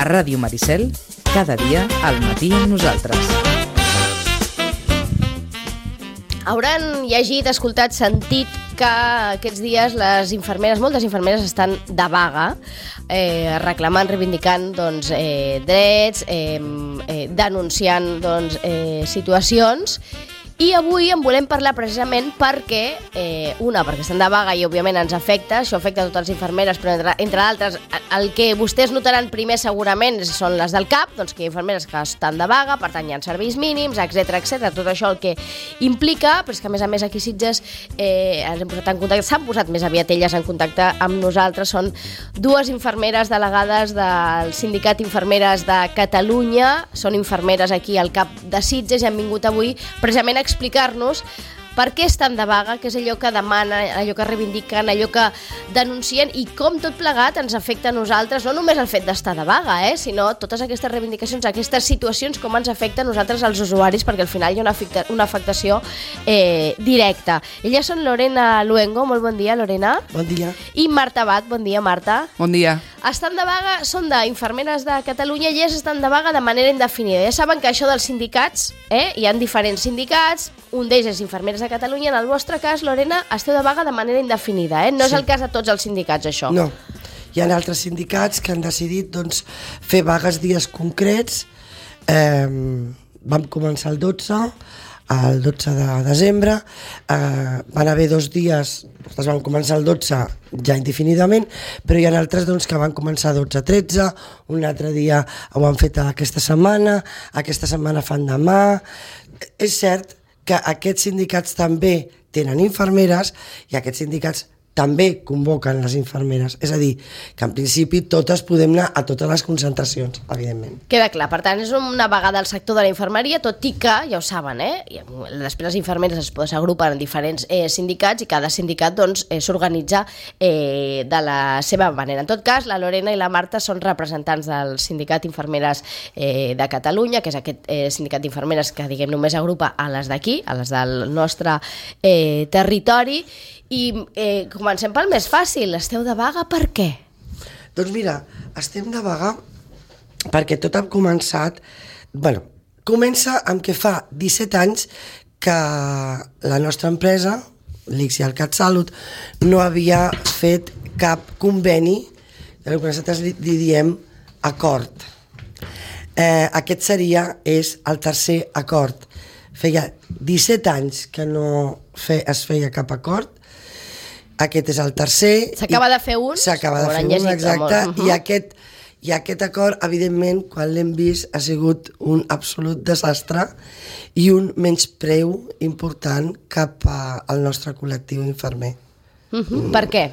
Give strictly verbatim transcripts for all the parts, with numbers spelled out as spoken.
Ràdio Maricel, cada dia al matí amb nosaltres. Hauran llegit, escoltat, sentit que aquests dies les infermeres, moltes infermeres estan de vaga, eh, reclamant, reivindicant doncs, eh, drets, eh, eh, denunciant doncs, eh, situacions. I avui en volem parlar precisament perquè, eh, una, perquè estan de vaga i òbviament ens afecta, això afecta a totes les infermeres, però entre, entre d'altres, el que vostès notaran primer segurament són les del C A P, doncs que hi ha infermeres que estan de vaga, per tant hi ha serveis mínims, etcètera, etcètera, tot això el que implica, però és que a més a més aquí a Sitges eh, ens hem posat en contacte, s'han posat més aviat elles en contacte amb nosaltres, són dues infermeres delegades del Sindicat Infermeres de Catalunya, són infermeres aquí al C A P de Sitges i han vingut avui precisament a explicar-nos per què estan de vaga, què és allò que demanen, allò que reivindiquen, allò que denuncien i com tot plegat ens afecta a nosaltres, no només el fet d'estar de vaga, eh, sinó totes aquestes reivindicacions, aquestes situacions, com ens afecta a nosaltres els usuaris, perquè al final hi ha una, afecta, una afectació eh, directa. Elles són Lorena Luengo, molt bon dia, Lorena. Bon dia. I Marta Abad, bon dia, Marta. Bon dia. Estan de vaga, són d'infermeres de Catalunya i elles estan de vaga de manera indefinida. Ja saben que això dels sindicats, eh, hi ha diferents sindicats, un d'ells és Infermeres de Catalunya. En el vostre cas, Lorena, esteu de vaga de manera indefinida, eh? No sí. És el cas de tots els sindicats, això. No, hi ha altres sindicats que han decidit doncs, fer vagues dies concrets. Eh, vam començar el dotze, el dotze de desembre, eh, van haver dos dies, es van començar el dotze ja indefinidament, però hi ha altres doncs, que van començar dotze tretze, un altre dia ho han fet aquesta setmana, aquesta setmana fan demà. És cert que aquests sindicats també tenen infermeres i aquests sindicats també convoquen les infermeres. És a dir, que en principi totes podem anar a totes les concentracions, evidentment. Queda clar, per tant, és una vaga del sector de la infermeria, tot i que, ja ho saben, eh? I després les infermeres es s'agrupen en diferents eh, sindicats i cada sindicat doncs, eh, s'organitza eh, de la seva manera. En tot cas, la Lorena i la Marta són representants del Sindicat Infermeres eh, de Catalunya, que és aquest eh, sindicat d'infermeres que diguem només agrupa a les d'aquí, a les del nostre eh, territori. I eh, comencem pel més fàcil. Esteu de vaga per què? Doncs mira, estem de vaga perquè tot ha començat... Bueno, comença amb que fa disset anys que la nostra empresa, l'I C S I, el CatSalut, no havia fet cap conveni, el que nosaltres li, li diem acord. Eh, aquest seria, és el tercer acord. Feia disset anys que no fe, es feia cap acord. Aquest és el tercer. S'acaba de fer un? S'acaba de fer un, exacte. Uh -huh. I, aquest, I aquest acord, evidentment, quan l'hem vist, ha sigut un absolut desastre i un menyspreu important cap a, al nostre col·lectiu infermer. Uh -huh. Mm. Per què?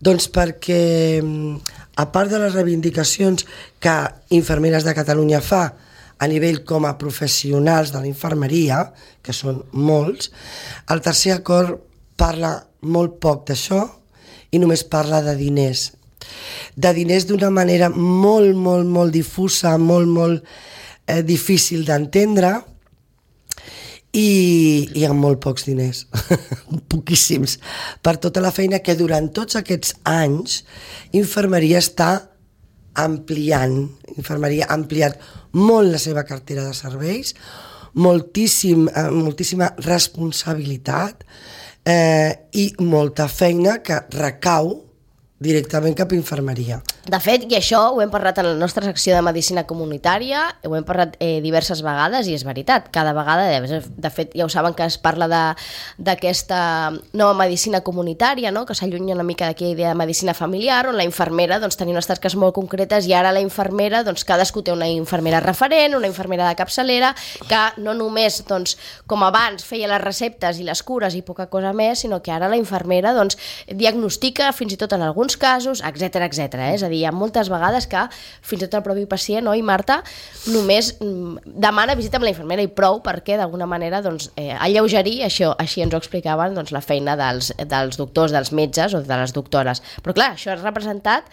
Doncs perquè, a part de les reivindicacions que Infermeres de Catalunya fa a nivell com a professionals de la infermeria, que són molts, el tercer acord parla molt poc d'això i només parla de diners. De diners d'una manera molt, molt, molt difusa, molt, molt eh, difícil d'entendre i, i amb molt pocs diners, poquíssims, per tota la feina que durant tots aquests anys Infermeria està ampliant. Infermeria ha ampliat molt la seva cartera de serveis, moltíssim, eh, moltíssima responsabilitat, Eh, i molta feina que recau directament cap a infermeria. De fet, i això ho hem parlat en la nostra secció de Medicina Comunitària, ho hem parlat eh, diverses vegades i és veritat, cada vegada, de fet, ja ho saben que es parla d'aquesta nova medicina comunitària, no? Que s'allunya una mica d'aquella idea de medicina familiar, on la infermera doncs, tenia unes tasques molt concretes i ara la infermera, doncs, cadascú té una infermera referent, una infermera de capçalera, que no només, doncs, com abans, feia les receptes i les cures i poca cosa més, sinó que ara la infermera doncs, diagnostica fins i tot en alguns casos, etcètera, etcètera. Eh? És a dir, hi ha moltes vegades que fins i tot el propi pacient, oi, Marta, només demana visita amb la infermera i prou perquè d'alguna manera doncs, eh, alleugerir, això, així ens ho explicaven, doncs, la feina dels, dels doctors, dels metges o de les doctores. Però clar, això ha representat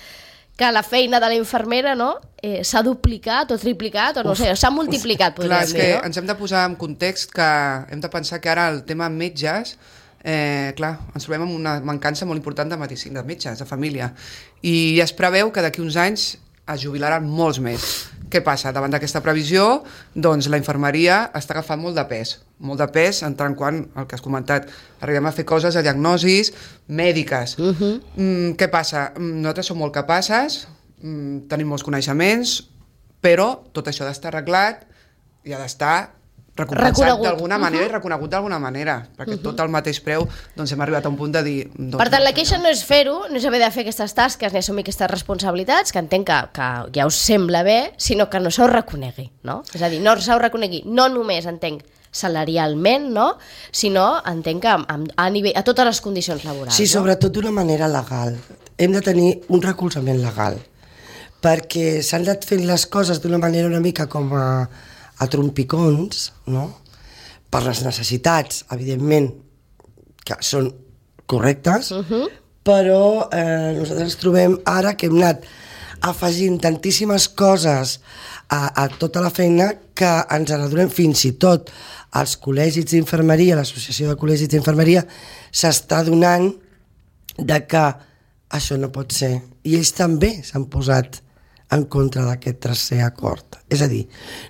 que la feina de la infermera no, eh, s'ha duplicat o triplicat o no uf, sé, s'ha multiplicat, uf. Podríem dir. Clar, és que no? ens hem de posar en context que hem de pensar que ara el tema metges Eh, clar, ens trobem amb una mancança molt important de medicina, de metges, de família, i es preveu que d'aquí uns anys es jubilaran molts més. Què passa? Davant d'aquesta previsió, doncs la infermeria està agafant molt de pes. Molt de pes en tant quan, el que has comentat, arribem a fer coses a diagnosis mèdiques. Uh-huh. Mm, què passa? Nosaltres som molt capaces, mm, tenim molts coneixements, però tot això ha d'estar arreglat i ha d'estar recompensat d'alguna manera uh-huh. i reconegut d'alguna manera, perquè uh-huh. tot al mateix preu doncs hem arribat a un punt de dir... Doncs, per tant, la queixa no és fer-ho, no és haver de fer aquestes tasques ni assumir aquestes responsabilitats, que entenc que, que ja us sembla bé, sinó que no se us reconegui, no? És a dir, no se us reconegui, no només entenc salarialment, no? Sinó entenc que a, a, nivell, a totes les condicions laborals. Sí, sobretot d'una manera legal. Hem de tenir un recolzament legal, perquè s'han anat fent les coses d'una manera una mica com a... a trompicons, no? Per les necessitats, evidentment, que són correctes, uh-huh. però eh, nosaltres ens trobem ara que hem anat afegint tantíssimes coses a, a tota la feina que ens n'adonem fins i tot als col·legis d'infermeria, l'associació de col·legis d'infermeria, s'està donant de que això no pot ser. I ells també s'han posat en contra d'aquest tercer acord. És a dir,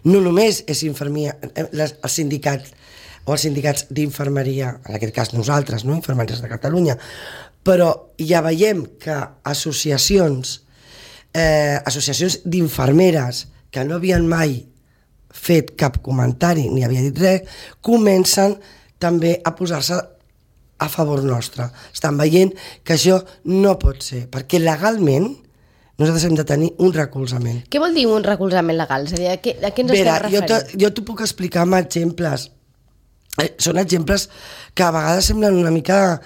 no només és infermeria, les, els sindicats o els sindicats d'infermeria, en aquest cas nosaltres, no? Infermeries de Catalunya, però ja veiem que associacions, eh, associacions d'infermeres que no havien mai fet cap comentari ni havia dit res, comencen també a posar-se a favor nostre. Estan veient que això no pot ser, perquè legalment nosaltres hem de tenir un recolzament. Què vol dir un recolzament legal? És a dir, a què, a què ens Vera, estem referint? Jo, jo t'ho puc explicar amb exemples. Eh, són exemples que a vegades semblen una mica...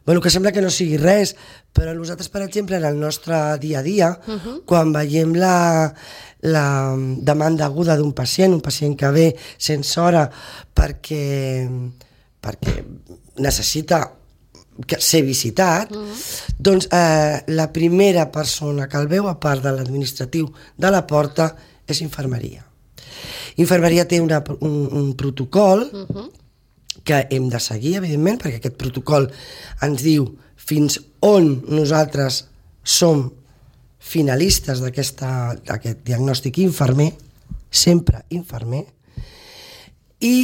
Bueno, que sembla que no sigui res, però nosaltres, per exemple, en el nostre dia a dia, uh-huh. quan veiem la, la demanda aguda d'un pacient, un pacient que ve sense hora perquè, perquè necessita que ser visitat, mm. doncs eh, la primera persona que el veu, a part de l'administratiu de la porta, és infermeria. Infermeria té una, un, un protocol mm-hmm. que hem de seguir, evidentment, perquè aquest protocol ens diu fins on nosaltres som finalistes d'aquest diagnòstic infermer, sempre infermer, i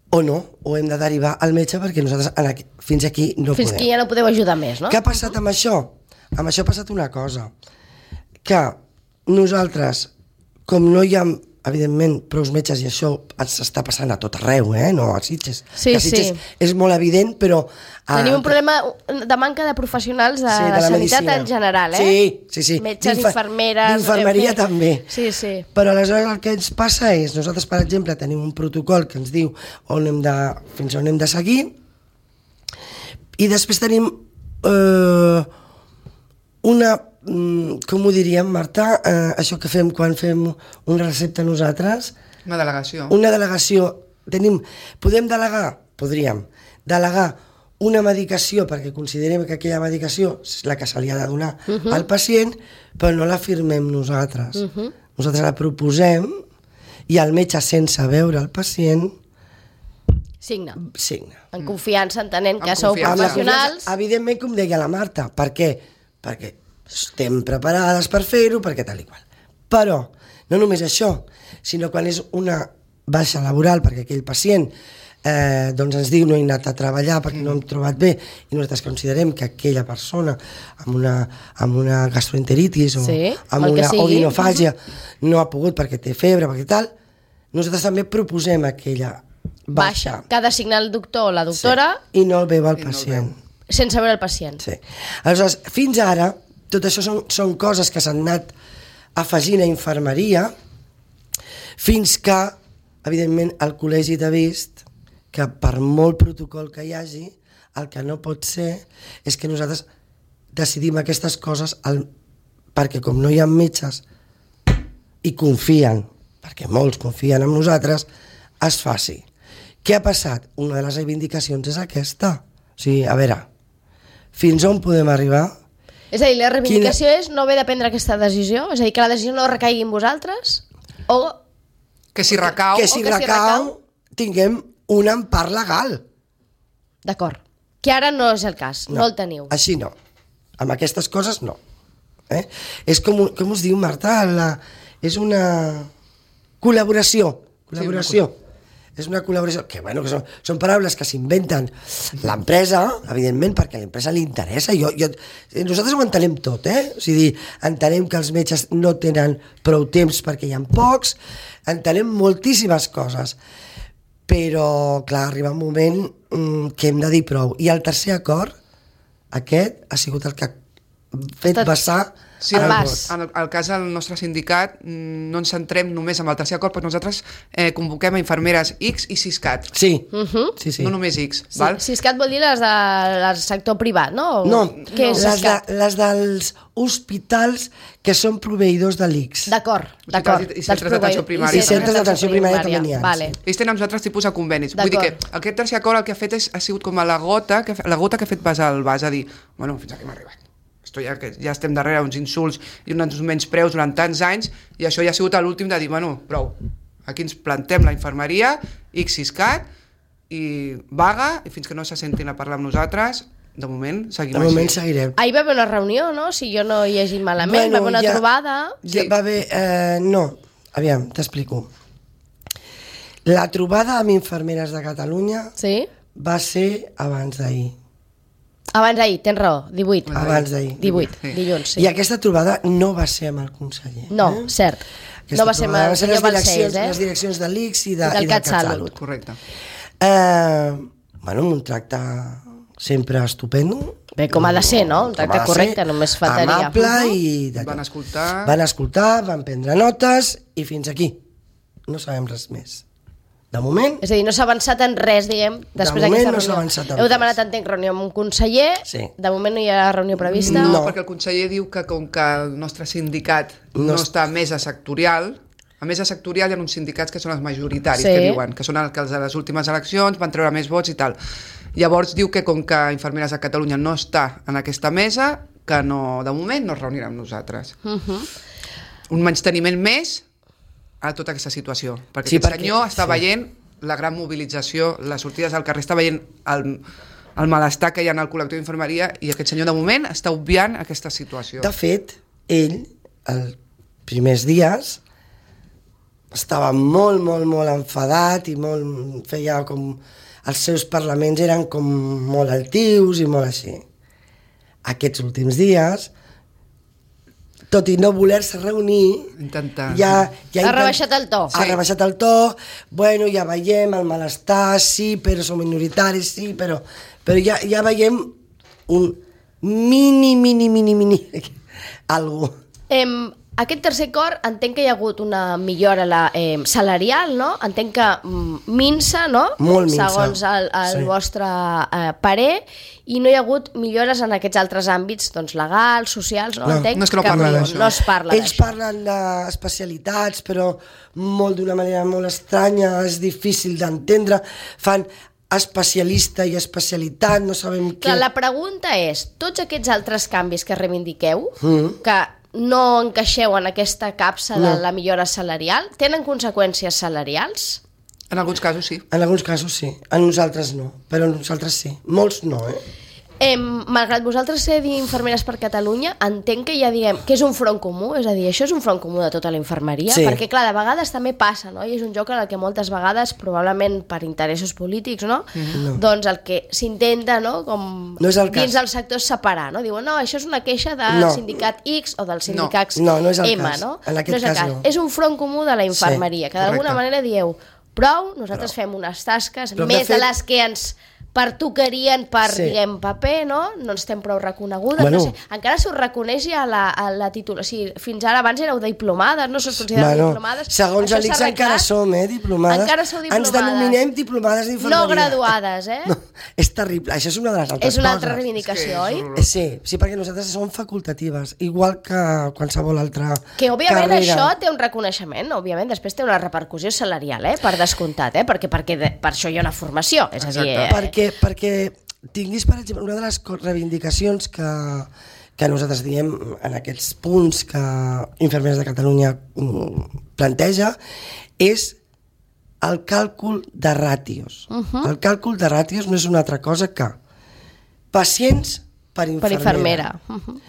o no, o hem de derivar al metge perquè nosaltres aquí, fins aquí no fins podem. Fins aquí ja no podeu ajudar més, no? Què ha passat amb això? Amb això ha passat una cosa, que nosaltres, com no hi ha, evidentment, prou metges, i això s'està passant a tot arreu, eh? No a Sitges. Sí, que a Sitges sí. és molt evident, però... Tenim un problema de manca de professionals de, sí, de la sanitat medicina. En general, eh? Sí, sí, sí. Metges, infermeres... D'infermeria eh, també. Sí, sí. Però aleshores el que ens passa és, nosaltres, per exemple, tenim un protocol que ens diu on hem de, fins on hem de seguir, i després tenim eh, una... com ho diríem, Marta, eh, això que fem quan fem una recepta nosaltres? Una delegació. Una delegació. Tenim, podem delegar? Podríem. Delegar una medicació perquè considerem que aquella medicació és la que se li ha de donar uh -huh. al pacient, però no la firmem nosaltres. Uh -huh. Nosaltres la proposem i el metge, sense veure el pacient, signa. Signa. En confiança, entenent que en sou confiança. professionals. Evidentment, com deia la Marta, per què? Perquè estem preparades per fer-ho, perquè tal i qual. Però, no només això, sinó quan és una baixa laboral, perquè aquell pacient eh, doncs ens diu no he anat a treballar perquè no hem trobat bé, i nosaltres considerem que aquella persona amb una, amb una gastroenteritis o sí, amb una odinofàgia no ha pogut perquè té febre, perquè tal, nosaltres també proposem aquella baixa. Baixa, que ha de signar el doctor o la doctora. Sí. I no el veu el pacient. No el veu. Sense veure el pacient. Sí. Aleshores, fins ara, tot això són, són coses que s'han anat afegint a infermeria, fins que, evidentment, el col·legi t'ha vist que per molt protocol que hi hagi, el que no pot ser és que nosaltres decidim aquestes coses al, perquè com no hi ha metges i confien, perquè molts confien en nosaltres, es faci. Què ha passat? Una de les reivindicacions és aquesta. O sigui, a veure, fins on podem arribar? És a dir, la reivindicació Quina... és no haver de prendre aquesta decisió? És a dir, que la decisió no recaigui en vosaltres? O... Que si recau... Que si, que recau, si recau, tinguem un empart legal. D'acord. Que ara no és el cas, no, no el teniu. Així no. Amb aquestes coses no. Eh? És com, un- com us diu, Marta? La, és una col·laboració. Col·laboració. És una col·laboració, que bueno, que són, són paraules que s'inventen l'empresa, evidentment, perquè a l'empresa li interessa. Jo, jo, nosaltres ho entenem tot, eh? O sigui, entenem que els metges no tenen prou temps perquè hi ha pocs, entenem moltíssimes coses, però, clar, arriba un moment mm, que hem de dir prou. I el tercer acord, aquest, ha sigut el que ha fet Tot- vessar Sí, El en, vas. en el, el cas del nostre sindicat mm, no ens centrem només en el tercer acord, perquè nosaltres eh, convoquem a infermeres X i Siscat, Sí, Mhm. sí, sí. no només X, Sí, val? Siscat vol dir les de, del sector privat, no? O No, Què és les, de, Siscat? les dels hospitals que són proveïdors de l'I C S. D'acord, Hospitals d'acord. i- i centres d'atenció Dels primària. I centres d'atenció primària també n'hi ha, Vale. sí. Ells tenen uns altres tipus de convenis. Vull dir que D'acord. aquest tercer acord el que ha fet és, ha sigut com a la gota que, la gota que ha fet basar el vas a dir, bueno, fins aquí hem arribat. Esto ja, que ja estem darrere uns insults i uns menyspreus durant tants anys, i això ja ha sigut l'últim de dir, bueno, prou, aquí ens plantem la infermeria, X Siscat, i vaga, i fins que no se sentin a parlar amb nosaltres, de moment seguim De així. moment seguirem. Ahir va haver una reunió, no? Si jo no hi he llegit malament, va haver una ja- trobada... Ja Sí. va haver... Eh, no, aviam, t'explico. La trobada amb infermeres de Catalunya Sí? va ser abans d'ahir. Abans d'ahir, tens raó, divuit. Abans d'ahir. divuit, Sí. dilluns, sí. I aquesta trobada no va ser amb el conseller. No, eh? cert. Aquesta No va ser amb trobada el va ser senyor les direccions, Balcells, les eh? direccions de l'I C S i, de, I del i del CatSalut. CatSalut. Correcte. Eh, bueno, amb un tracte sempre estupendo. Bé, com ha de ser, no? Un Com tracte ha de correcte, ser, només faltaria. Amable i... d'allò. Van escoltar. Van escoltar, van prendre notes i fins aquí. No sabem res més. De moment, És a dir, no s'ha avançat en res, diguem, després moment d'aquesta no s'ha reunió. avançat en Heu res. demanat, entenc, reunió amb un conseller, Sí. de moment no hi ha reunió prevista. No, No. perquè el conseller diu que com que el nostre sindicat No no, es- està a mesa sectorial, a mesa sectorial hi ha uns sindicats que són els majoritaris, Sí. que diuen, que són els que els de les últimes eleccions van treure més vots i tal. Llavors diu que com que Infermeres de Catalunya no està en aquesta mesa, que no, de moment no es reunirà amb nosaltres. Uh -huh. Un menysteniment més a tota aquesta situació, perquè Sí, sí, aquest perquè- senyor està sí. veient la gran mobilització, les sortides al carrer, està veient el, el malestar que hi ha en el col·lectiu d'infermeria, i aquest senyor de moment està obviant aquesta situació. de fet, ell, els primers dies, estava molt, molt, molt enfadat i molt, feia com... Els seus parlaments eren com molt altius i molt així. Aquests últims dies, tot i no voler-se reunir, Intentar. ja, ja Ha intent- rebaixat el to. Ha Sí. rebaixat el to, bueno, ja veiem el malestar, sí, però som minoritaris, sí, però, però ja, ja veiem un mini, mini, mini, mini, algo. Em, aquest tercer acord, entenc que hi ha hagut una millora la, eh, salarial, no? Entenc que mm, minsa, no? Molt minsa. Segons el, el Sí. vostre eh, parer, i no hi ha hagut millores en aquests altres àmbits, doncs legals, socials, no? No, Entenc no és que no parlen no, d'això. no es parla Ells d'això. parlen d'especialitats, però molt d'una manera molt estranya, és difícil d'entendre, fan especialista i especialitat, no sabem què... Clar, la pregunta és, tots aquests altres canvis que reivindiqueu, Mm. que no encaixeu en aquesta capsa de No. la millora salarial, tenen conseqüències salarials? En alguns casos sí. En alguns casos sí, en nosaltres no, però en nosaltres sí. Molts no, eh? Eh, malgrat vosaltres ser d'infermeres per Catalunya, entenc que ja diguem que és un front comú, és a dir, això és un front comú de tota la infermeria, Sí. perquè clar, de vegades també passa, no? I és un joc en el que moltes vegades, probablement per interessos polítics, no? No. Doncs el que s'intenta, no? Com No és el dins cas. del sector és separar, no? Diuen, no, això és una queixa del No. sindicat X o del sindicat No, no és el M, cas. no? En aquest no és el cas no. És un front comú de la infermeria, Sí, que d'alguna correcte. manera dieu, prou, nosaltres fem unes tasques Però, de més de fet- les que ens pertocarien per, Sí. diguem, paper, no? No estem prou reconegudes, Bueno. no sé. Encara se us reconeix ja la, a la títol... O sigui, fins ara abans éreu diplomades, no se us considera Bueno, diplomades. segons Això l'I C S s'ha encara arreglat? som, eh, diplomades. Encara sou Ens diplomades. denominem diplomades d'infermeria. No graduades, eh? No, és terrible, això és una de les altres És una altra coses. reivindicació, És que oi? és Eh, Sí, sí, perquè nosaltres som facultatives, igual que qualsevol altra Que, òbviament, carrera. això té un reconeixement, òbviament, després té una repercussió salarial, eh? Per descomptat, eh? Perquè, perquè de, per això hi ha una formació, és a dir... Eh? Perquè, perquè tinguis, per exemple, una de les co- reivindicacions que, que nosaltres diem en aquests punts que Infermeres de Catalunya mm, planteja és el càlcul de ràtios. Uh -huh. El càlcul de ràtios no és una altra cosa que pacients per Per infermera. infermera. Uh -huh.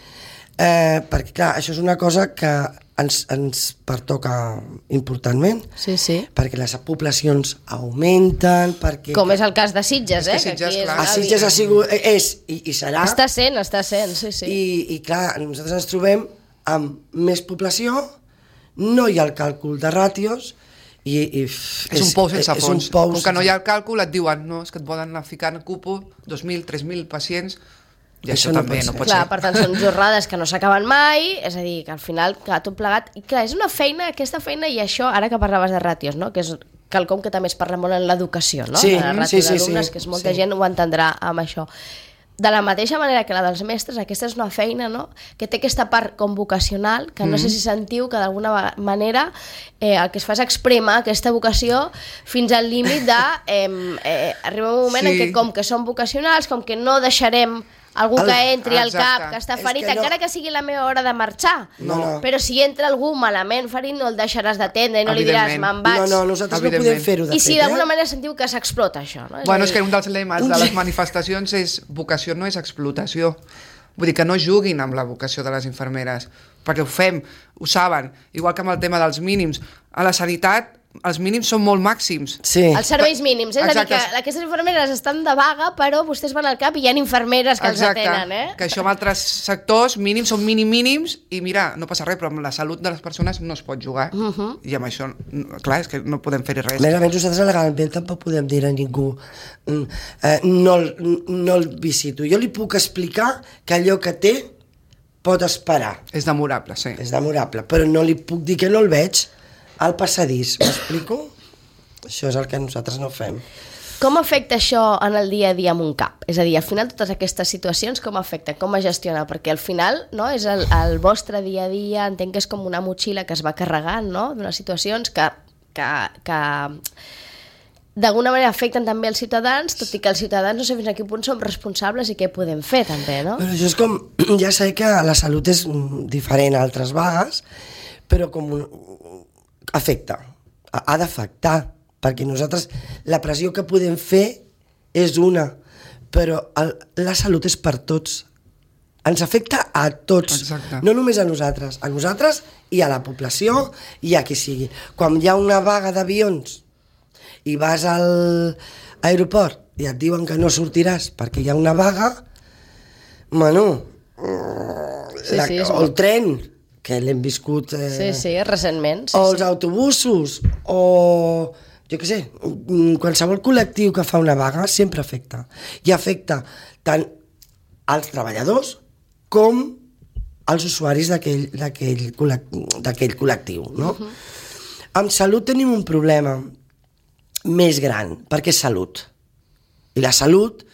Eh, perquè, clar, això és una cosa que ens, ens pertoca importantment, Sí, sí. perquè les poblacions augmenten, perquè... Com és el cas de Sitges, És que eh? Sitges, aquí és clar. A una Sitges ha vida. sigut, és i, i serà, Està sent, està sent, sí, sí. i, i clar, nosaltres ens trobem amb més població, no hi ha el càlcul de ràtios, i, i f, És un pou sense és fons. un pou Com que no hi ha sense- el càlcul, et diuen, no, és que et poden anar ficant a cupo dos mil, tres mil pacients, i Això això, no també pot no ser. pot Clar, ser. per tant, són jornades que no s'acaben mai, és a dir, que al final, clar, tot plegat... I clar, és una feina, aquesta feina, i això, ara que parlaves de ràtios, no?, que és quelcom que també es parla molt en l'educació, no?, Sí, de la ràtio sí, sí, d'alumnes, sí, que és molta sí. gent ho entendrà amb això. De la mateixa manera que la dels mestres, aquesta és una feina, no?, que té aquesta part com vocacional, que no sé si sentiu que d'alguna va- manera eh, el que es fa és exprémer aquesta vocació fins al límit de... Eh, eh, arriba un moment Sí. en què com que som vocacionals, com que no deixarem algú El- que entri al Exacte. cap, que està És ferit, que no- encara que sigui la meva hora de marxar. No, no. Però si entra algú malament ferit, no el deixaràs d'atendre i no li diràs, Evidentment. me'n vaig. No, no, nosaltres no podem Evidentment. fer-ho de I si fet, d'alguna eh? manera sentiu que s'explota això, no? Bueno, a és dir, que un dels lemes de les manifestacions és vocació no és explotació. Vull dir que no juguin amb la vocació de les infermeres, perquè ho fem, ho saben, igual que amb el tema dels mínims. A la sanitat els mínims són molt màxims. Sí. Els serveis mínims, és Exacte. a dir, que aquestes infermeres estan de vaga, però vostès van al cap i hi ha infermeres que Exacte, els atenen, eh? que això en altres sectors mínims són mínim mínims i mira, no passa res, però amb la salut de les persones no es pot jugar. Uh -huh. I amb això, no, clar, és que no podem fer-hi res. A més a més, nosaltres legalment tampoc podem dir a ningú mm, eh, no, el- no el visito. Jo li puc explicar que allò que té pot esperar. És demorable, sí. És demorable, però no li puc dir que no el veig al passadís. M'explico? Això és el que nosaltres no fem. Com afecta això en el dia a dia amb un cap? És a dir, al final totes aquestes situacions com afecten, com es gestiona? Perquè al final no, és el, el vostre dia a dia, entenc que és com una motxilla que es va carregant, no?, d'unes situacions que, que, que d'alguna manera afecten també els ciutadans, tot i que els ciutadans no sé fins a quin punt som responsables i què podem fer també, no? Però això és com... Ja sé que la salut és mm, diferent a altres vagues, però com un, afecta, ha, ha d'afectar, perquè nosaltres la pressió que podem fer és una, però el, la salut és per tots. Ens afecta a tots, Exacte. no només a nosaltres, a nosaltres i a la població i a qui sigui. Quan hi ha una vaga d'avions i vas al aeroport i et diuen que no sortiràs perquè hi ha una vaga, bueno, Sí, la, sí, és o el molt- tren, que l'hem viscut, eh, Sí, sí, recentment. Sí, o els sí. autobusos, o jo què sé, mm, qualsevol col·lectiu que fa una vaga sempre afecta. I afecta tant als treballadors com als usuaris d'aquell d'aquell col·lec- d'aquell col·lectiu, no? Uh-huh. Amb salut tenim un problema més gran, perquè és salut. I la salut,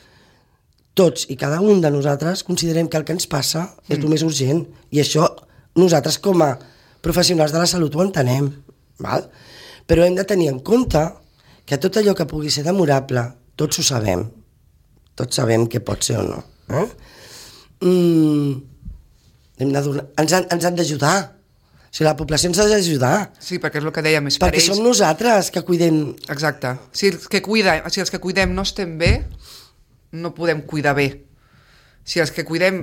tots i cada un de nosaltres considerem que el que ens passa és el més urgent, i això nosaltres com a professionals de la salut ho entenem, val? Però hem de tenir en compte que tot allò que pugui ser demorable, tots ho sabem, tots sabem que pot ser o no. Eh? Mm, hem de donar, ens han, ens han d'ajudar. O sigui, la població ens ha d'ajudar, Sí, perquè és el que dèiem, és per perquè ells. som nosaltres que cuidem. Exacte. Si els, que cuida, si els que cuidem no estem bé, no podem cuidar bé. Si els que cuidem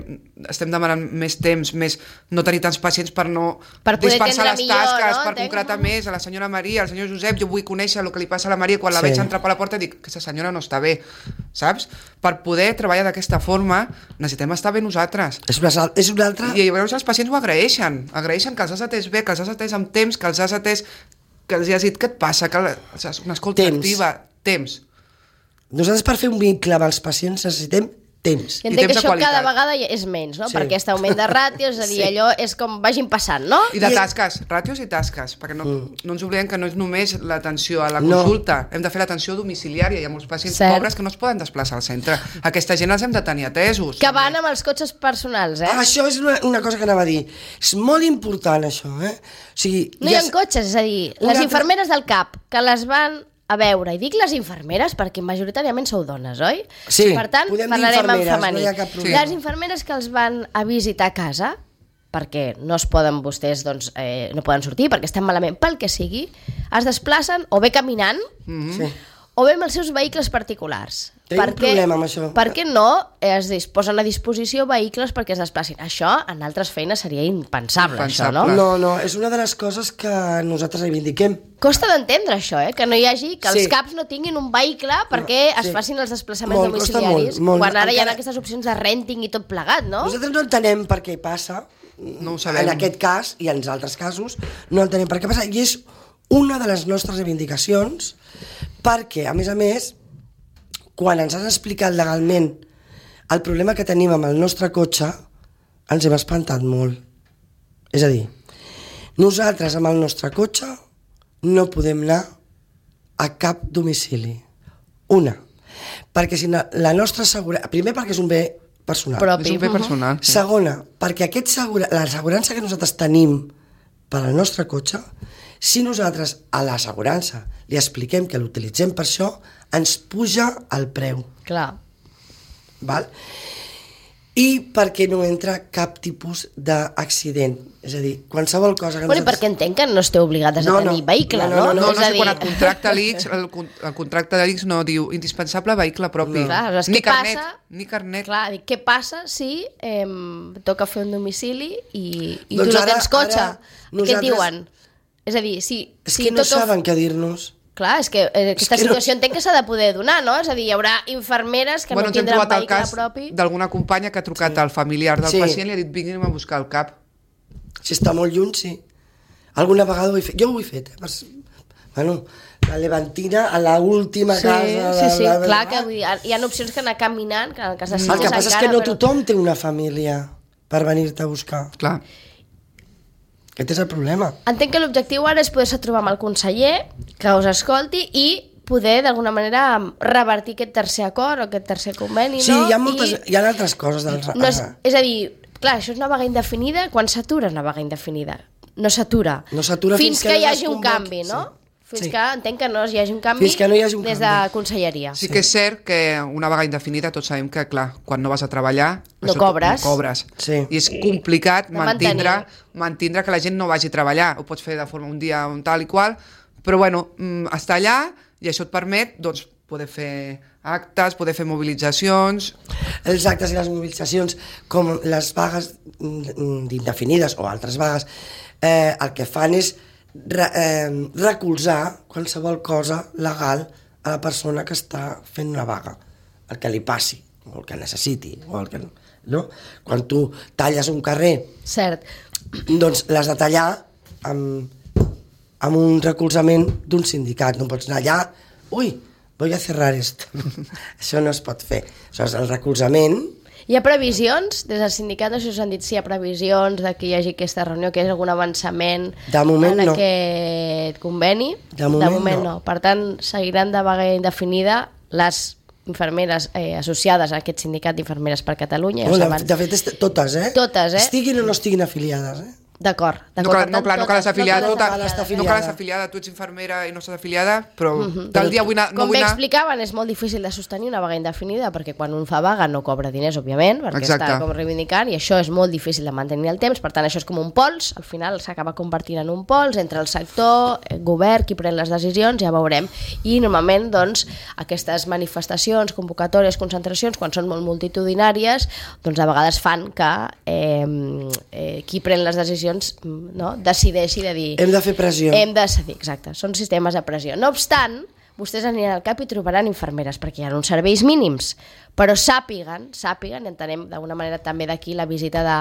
estem demanant més temps, més no tenir tants pacients per no Per poder dispersar atendre les millor, tasques, no? per Entenc. concretar més a la senyora Maria, al senyor Josep, jo vull conèixer el que li passa a la Maria, quan la Sí. veig entrar per la porta dic que aquesta senyora no està bé, saps? Per poder treballar d'aquesta forma necessitem estar bé nosaltres. És una, sal- és una altra... I llavors els pacients ho agraeixen, agraeixen que els has atès bé, que els has atès amb temps, que els has atès, que els has dit què et passa, que els has- una escolta Temps. activa, temps. Nosaltres per fer un vincle amb els pacients necessitem temps. I I entenc que temps de això cada qualitat. vegada hi és menys, no? Sí. Per aquest augment de ràtios, és a dir, Sí. allò és com vagin passant, no? I de I- tasques, ràtios i tasques, perquè no, mm. no ens oblidem que no és només l'atenció a la No. consulta, hem de fer l'atenció domiciliària, hi ha molts pacients Cert. pobres que no es poden desplaçar al centre. Aquesta gent els hem de tenir atesos. Que van amb els cotxes personals, eh? Ah, això és una, una cosa que anava a dir. És molt important, això, eh? O sigui, No hi ha ja- cotxes, és a dir, Una les altra- infermeres del CAP, que les van a veure, i dic les infermeres perquè majoritàriament sou dones, oi? Sí, Per tant, podem dir parlarem en infermeres, no femení. hi ha cap problema. Les infermeres que els van a visitar a casa, perquè no es poden vostès, doncs, eh, no poden sortir, perquè estan malament, pel que sigui, es desplacen o bé caminant, Sí. o bé amb els seus vehicles particulars. Tenim un problema amb això. Per què no es posen a disposició vehicles perquè es desplacin? Això en altres feines seria impensable, Impensable. això, no? No, no, és una de les coses que nosaltres reivindiquem. Costa d'entendre això, eh? Que no hi hagi, que els Sí. caps no tinguin un vehicle perquè No, es sí. facin els desplaçaments Molt, costa domiciliaris, molt, molt. quan ara hi ha Encara- aquestes opcions de renting i tot plegat, no? Nosaltres no entenem per què passa, No ho sabem. en aquest cas i en altres casos, no entenem per què passa, i és una de les nostres reivindicacions, perquè, a més a més, quan ens han explicat legalment el problema que tenim amb el nostre cotxe, ens hem espantat molt. És a dir, nosaltres amb el nostre cotxe no podem anar a cap domicili. Una, perquè si no, la nostra seguretat... Primer perquè és un bé personal. Propi. És un bé personal. Sí. Segona, perquè aquest segura, l'assegurança que nosaltres tenim per al nostre cotxe, si nosaltres a l'assegurança li expliquem que l'utilitzem per això, ens puja el preu. Clar. Val? I perquè no entra cap tipus d'accident. És a dir, qualsevol cosa que Bueno, i nosaltres... perquè entenc que no esteu obligades No, a tenir no. vehicle, No, no? no, No, no, És no a sé, dir, quan et contracta l'I X, el, con- el contracte de l'I X no diu indispensable vehicle propi. No. Clar, aleshores, ni què carnet, passa? ni carnet. Clar, dic, què passa si eh, toca fer un domicili i, i Doncs tu no ara- tens cotxe? ara Què et nosaltres- diuen? És a dir, si... És si que no toca... saben què dir-nos. Clar, és que eh, aquesta que no- situació entenc que s'ha de poder donar, no? És a dir, hi haurà infermeres que bueno, no ens hem tindran trobat el vehicle cas propi. d'alguna companya que ha trucat al familiar del Sí. pacient i li ha dit vinguin a buscar el cap. Si està molt lluny, sí. Alguna vegada ho he fet. Jo ho he fet, eh? Per... Bueno, la Levantina a la última Sí, casa... sí, sí, de la... clar que vull dir, hi ha opcions que anar caminant, que en el cas de El Sitges que passa és que encara, no però- tothom té una família per venir-te a buscar. Clar. Aquest és el problema. Entenc que l'objectiu ara és poder-se trobar amb el conseller, que us escolti i poder, d'alguna manera, revertir aquest tercer acord o aquest tercer conveni, Sí, no? hi ha, moltes, I hi ha altres coses. Del... no és, és a dir, clar, això és una vaga indefinida. Quan s'atura una vaga indefinida? No s'atura. No s'atura fins, fins que, que hi no hagi es un convoqui, canvi, no? sí. Fins Sí. que entenc que no hi hagi un canvi Fins que no hi hagi un des canvi. de conselleria. Sí que és cert que una vaga indefinida tots sabem que, clar, quan no vas a treballar... No això cobres. No cobres. Sí. I és complicat De mantindre, mantenir. mantindre que la gent no vagi a treballar. Ho pots fer de forma un dia un tal i qual, però bueno, mm, està allà i això et permet doncs, poder fer actes, poder fer mobilitzacions... Els actes i les mobilitzacions, com les vagues mm, indefinides o altres vagues, eh, el que fan és re, eh, recolzar qualsevol cosa legal a la persona que està fent una vaga, el que li passi, o el que necessiti, o el que... No? Quan tu talles un carrer, Cert. doncs l'has de tallar amb, amb un recolzament d'un sindicat. No pots anar allà, ui, voy a cerrar esto. Això no es pot fer. Això és el recolzament. Hi ha previsions? Des del sindicat no sé si us han dit si hi ha previsions de que hi hagi aquesta reunió, que hi hagi algun avançament De moment en no. aquest conveni? De moment no. Per tant, seguiran de vaga indefinida les infermeres eh, associades a aquest sindicat d'infermeres per Catalunya. Ja ho No, saben. de, de fet, est- totes, eh? Totes, eh? Estiguin o no estiguin afiliades, eh? D'acord. No d'acord. cal, Per no, tant, clar, no cal totes- estar afiliada, no no, cal cal estar estar afiliada. no cal afiliada. estar afiliada, tu ets infermera i no estàs afiliada, però Mhm. tal dia vull anar, no Com vull bé anar... explicaven, és molt difícil de sostenir una vaga indefinida perquè quan un fa vaga no cobra diners, òbviament, perquè Exacte. està com reivindicant, i això és molt difícil de mantenir el temps, per tant això és com un pols, al final s'acaba convertint en un pols entre el sector, el govern, qui pren les decisions, ja veurem. I normalment, doncs, aquestes manifestacions, convocatòries, concentracions, quan són molt multitudinàries, doncs a vegades fan que eh, eh, qui pren les decisions, no, decideixi de dir... Hem de fer pressió. Hem de cedir, exacte. Són sistemes de pressió. No obstant, vostès aniran al cap i trobaran infermeres, perquè hi ha uns serveis mínims, però sàpiguen, sàpiguen, entenem d'alguna manera també d'aquí la visita de,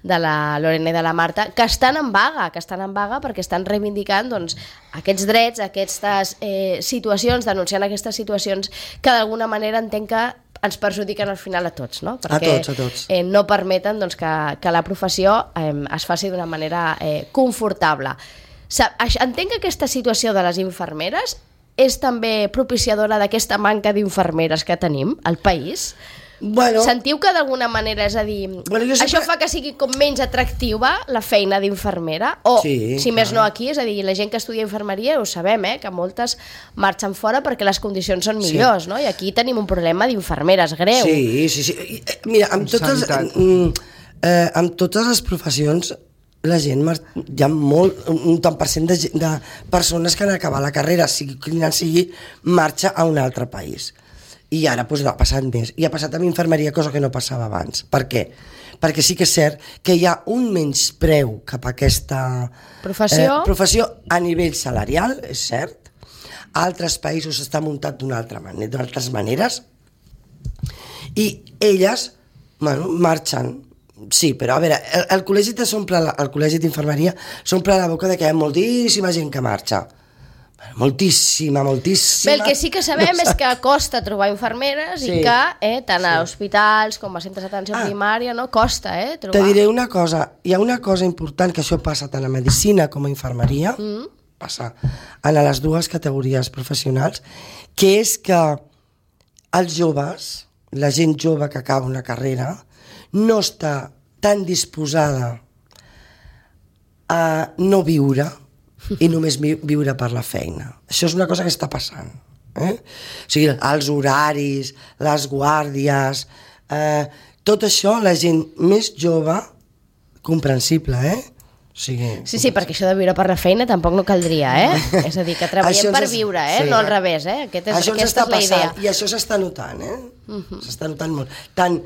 de la Lorena i de la Marta, que estan en vaga, que estan en vaga perquè estan reivindicant doncs, aquests drets, aquestes eh, situacions, denunciant aquestes situacions que d'alguna manera entenc que ens perjudiquen al final a tots, no? Perquè, tots, a tots. Eh, no permeten doncs, que, que la professió eh, es faci d'una manera eh, confortable. Sa- aix- Entenc que aquesta situació de les infermeres és també propiciadora d'aquesta manca d'infermeres que tenim al país? Bueno, Sentiu que d'alguna manera, és a dir, Bueno, jo sempre- això fa que sigui com menys atractiva la feina d'infermera? O, Sí, si més clar. no aquí, és a dir, la gent que estudia infermeria ho sabem, eh, que moltes marxen fora perquè les condicions són Sí. millors, no? I aquí tenim un problema d'infermeres greu. sí, sí, sí. I, eh, Mira, amb totes, Sanitat. mm, eh, amb totes les professions la gent, hi ha molt, un tant per cent de, de persones que han acabat la carrera, sigui quina sigui, marxa a un altre país. I ara doncs, ha passat més. I ha passat amb infermeria, cosa que no passava abans. Per què? Perquè sí que és cert que hi ha un menyspreu cap a aquesta professió, eh, professió a nivell salarial, és cert. A altres països s'està muntat d'una altra manera, d'altres maneres, i elles, bueno, marxen. Sí, però a veure, el, el col·legi s'omple, el col·legi d'infermeria s'omple la boca de que hi ha moltíssima gent que marxa. Moltíssima, moltíssima. Bé, el que sí que sabem no és que costa trobar infermeres sí. i que eh, tant a sí. hospitals com a centres d'atenció ah. primària no costa eh, trobar. Te diré una cosa, hi ha una cosa important que això passa tant a medicina com a infermeria, mm. passa en les dues categories professionals, que és que els joves, la gent jove que acaba una carrera, no està tan disposada a no viure i només viure per la feina. Això és una cosa que està passant. Eh? O sigui, els horaris, les guàrdies, eh, tot això, la gent més jove, comprensible, eh? O sigui, sí, sí, perquè això de viure per la feina tampoc no caldria, eh? És a dir, que treballem per viure, eh? Sí, no al revés, eh? Aquest és, això aquesta és la idea. I això s'està notant, eh? Uh-huh. S'està notant molt. Tant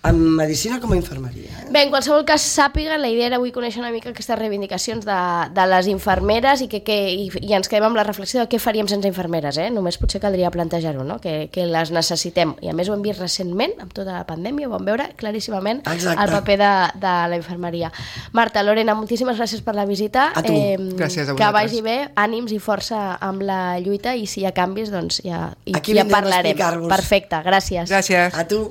en medicina com a infermeria. Eh? Bé, en qualsevol cas, sàpiga, la idea era avui conèixer una mica aquestes reivindicacions de, de les infermeres i, que, que, i, i ens quedem amb la reflexió de què faríem sense infermeres, eh? Només potser caldria plantejar-ho, no? Que, que les necessitem. I a més ho hem vist recentment, amb tota la pandèmia, ho vam veure claríssimament Exacte. El paper de, de la infermeria. Marta, Lorena, moltíssimes gràcies per la visita. A tu. Eh, gràcies a vosaltres. Que vagi bé, ànims i força amb la lluita i si hi ha canvis, doncs ja, Aquí ja parlarem. a Perfecte, gràcies. Gràcies. A tu.